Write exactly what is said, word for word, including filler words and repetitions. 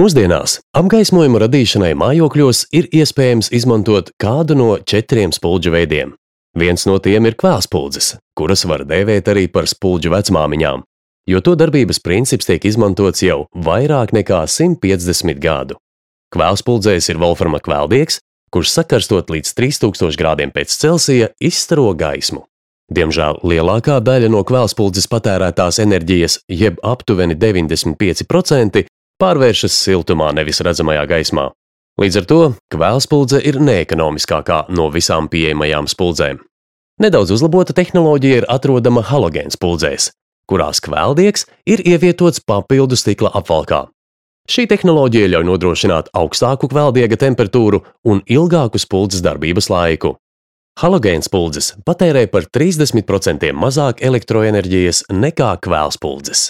Mūsdienās apgaismojuma radīšanai mājokļos ir iespējams izmantot kādu no četriem spuldžu veidiem. Viens no tiem ir kvēlspuldзes, kuras var dēvēt arī par spuldžu vecmāmiņām, jo to darbības princips tiek izmantots jau vairāk nekā simt piecdesmit gadu. Kvēlspuldzēs ir volframa kvēldiegs, kurš sakarstot līdz trīs tūkstoši grādiem pēc Celsija izstaro gaismu. Diemžēl lielākā daļa no kvēlspuldzes patērētās enerģijas, jeb aptuveni deviņdesmit pieci procenti, pārvēršas siltumā, nevis redzamajā gaismā. Līdz ar to kvēlspuldze ir neekonomiskākā no visām pieejamajām spuldzēm. Nedaudz uzlabota tehnoloģija ir atrodama halogēnspuldzēs, kurās kvēldiegs ir ievietots papildu stikla apvalkā. Šī tehnoloģija ļauj nodrošināt augstāku kvēldiega temperatūru un ilgāku spuldzes darbības laiku. Halogēnspuldzes patērē par trīsdesmit procentiem mazāk elektroenerģijas nekā kvēlspuldzes.